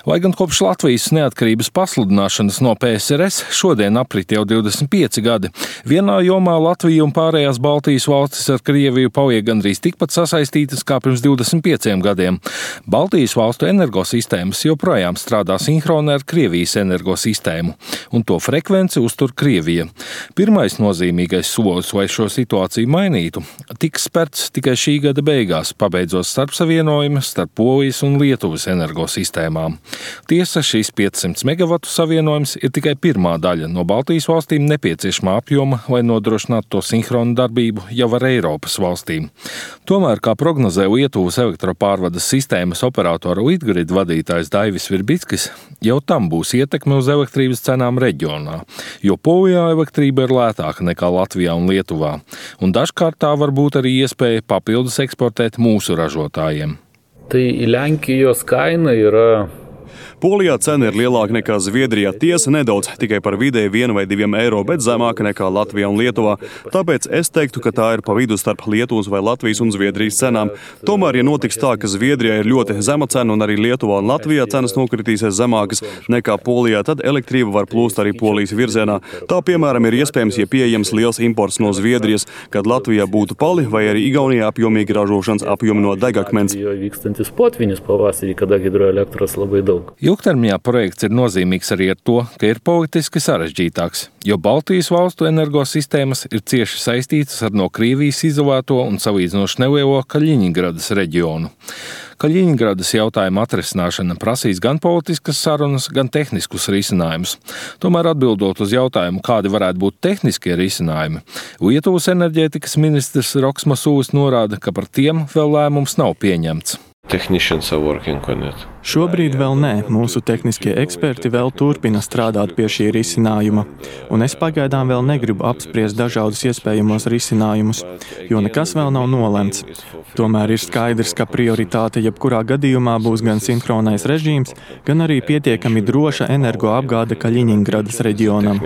Lai gan kopš Latvijas neatkarības pasludināšanas no PSRS šodien aprit jau 25 gadi, vienā jomā Latvija un pārējās Baltijas valstis ar Krieviju paliek gandrīz tikpat sasaistītas kā pirms 25 gadiem. Baltijas valstu energosistēmas joprojām strādā sinhroni ar Krievijas energosistēmu, un to frekvenci uztur Krievija. Pirmais nozīmīgais solis, lai šo situāciju mainītu, tiks spērts tikai šī gada beigās, pabeidzot starpsavienojumu starp Polijas un Lietuvas energosistēmām. Tiesa, šīs 500 megavatu savienojums ir tikai pirmā daļa no Baltijas valstīm nepieciešamā apjoma, lai nodrošinātu to sinhronu darbību jau ar Eiropas valstīm. Tomēr, kā prognozē Lietuvas elektropārvades sistēmas operatora Litgrid vadītājs Daivis Virbickis, jau tam būs ietekme uz elektrības cenām reģionā, jo Polijā elektrība ir lētāka nekā Latvijā un Lietuvā, un dažkārt tā var būt arī iespēja papildus eksportēt mūsu ražotājiem. Tai Lenkijos kaina yra. Polijā cena ir lielāka nekā Zviedrijā, tiesa nedaudz, tikai par vidēji 1 vai 2 eiro, bet zemāka nekā Latvijā un Lietuvā. Tāpēc es teiktu, ka tā ir pa vidu starp Lietuvas vai Latvijas un Zviedrijas cenām. Tomēr, ja notiks tā, ka Zviedrijā ir ļoti zema cena un arī Lietuvā un Latvijā cenas nokritīsies zemākas nekā Polijā, tad elektrība var plūst arī Polijas virzienā. Tā, piemēram, ir iespējams, ja pieejams liels imports no Zviedrijas, kad Latvijā būtu pali vai arī Igaunijā apjomīgi ražošanas apjomi no degakmens. Ilgtermiņā projekts ir nozīmīgs arī ar to, ka ir politiski sarežģītāks, jo Baltijas valstu energosistēmas ir cieši saistītas ar no Krievijas izolēto un salīdzinoši nelielo Kaļiņingradas reģionu. Kaļiņingradas jautājuma atrisināšana prasīs gan politiskas sarunas, gan tehniskus risinājumus. Tomēr atbildot uz jautājumu, kādi varētu būt tehniskie risinājumi, Lietuvas enerģētikas ministrs Roks Masulis norāda, ka par tiem vēl lēmums nav pieņemts. Šobrīd vēl nē, mūsu tehniskie eksperti vēl turpina strādāt pie šī risinājuma, un es pagaidām vēl negribu apspriest dažādus iespējamos risinājumus, jo nekas vēl nav nolemts. Tomēr ir skaidrs, ka prioritāte jebkurā gadījumā būs gan sinhronais režīms, gan arī pietiekami droša energoapgāde Kaļiņingradas reģionam.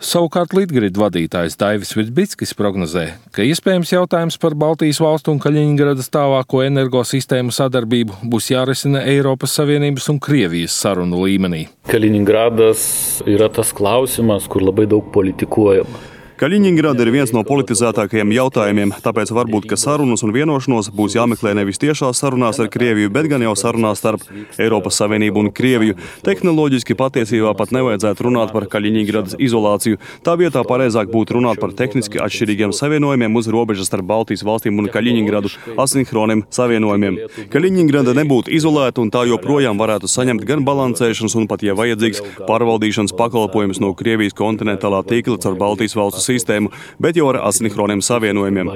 Savukārt Litgrid vadītājs Daivis Virbickis prognozē, ka iespējams jautājums par Baltijas valstu un Kaļiņingradas tālāko energosistēmu sadarbību būs jārisina Eiropas Savienības un Krievijas sarunu līmenī. Kaļiņingradas ir tas klausimas, kur labai daug politikuojama. Kaļiņingrada ir viens no politizētākajiem jautājumiem, tāpēc varbūt, ka sarunas un vienošanos būs jāmeklē nevis tiešās sarunās ar Krieviju, bet gan jau sarunās starp Eiropas Savienību un Krieviju. Tehnoloģiski patiesībā pat nevajadzētu runāt par Kaļiņingradas izolāciju. Tā vietā pareizāk būtu runāt par tehniski atšķirīgiem savienojumiem uz robežas starp Baltijas valstīm un Kaļiņingradu, asinhroniem savienojumiem. Kaļiņingrada nebūtu izolēta un tā joprojām varētu saņemt gan balansēšanas un pat, ja vajadzīgs, pārvaldīšanas pakalpojumus no Krievijas kontinentālā tīkla caur Baltijas valstu sistēmu, bet jau ar asinhroniem savienojumiem.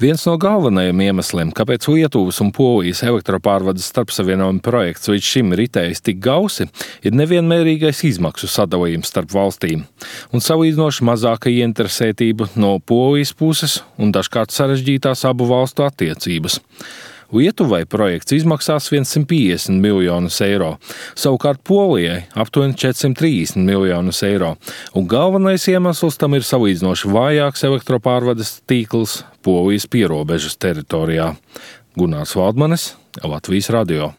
Viens no galvenajiem iemesliem, kāpēc Lietuvas un Polijas elektropārvades starpsavienojuma projekts līdz šim ritējis tik gausi, ir nevienmērīgais izmaksu sadalījums starp valstīm un salīdzinoši mazāka ieinteresētība no Polijas puses un dažkārt sarežģītās abu valstu attiecības. Lietuvai projekts izmaksās 150 miljonus eiro, savukārt Polijai aptuveni 430 miljonus eiro, un galvenais iemesls tam ir salīdzinoši vājāks elektropārvades tīkls Polijas pierobežas teritorijā. Gunārs Valdmanis, Latvijas radio.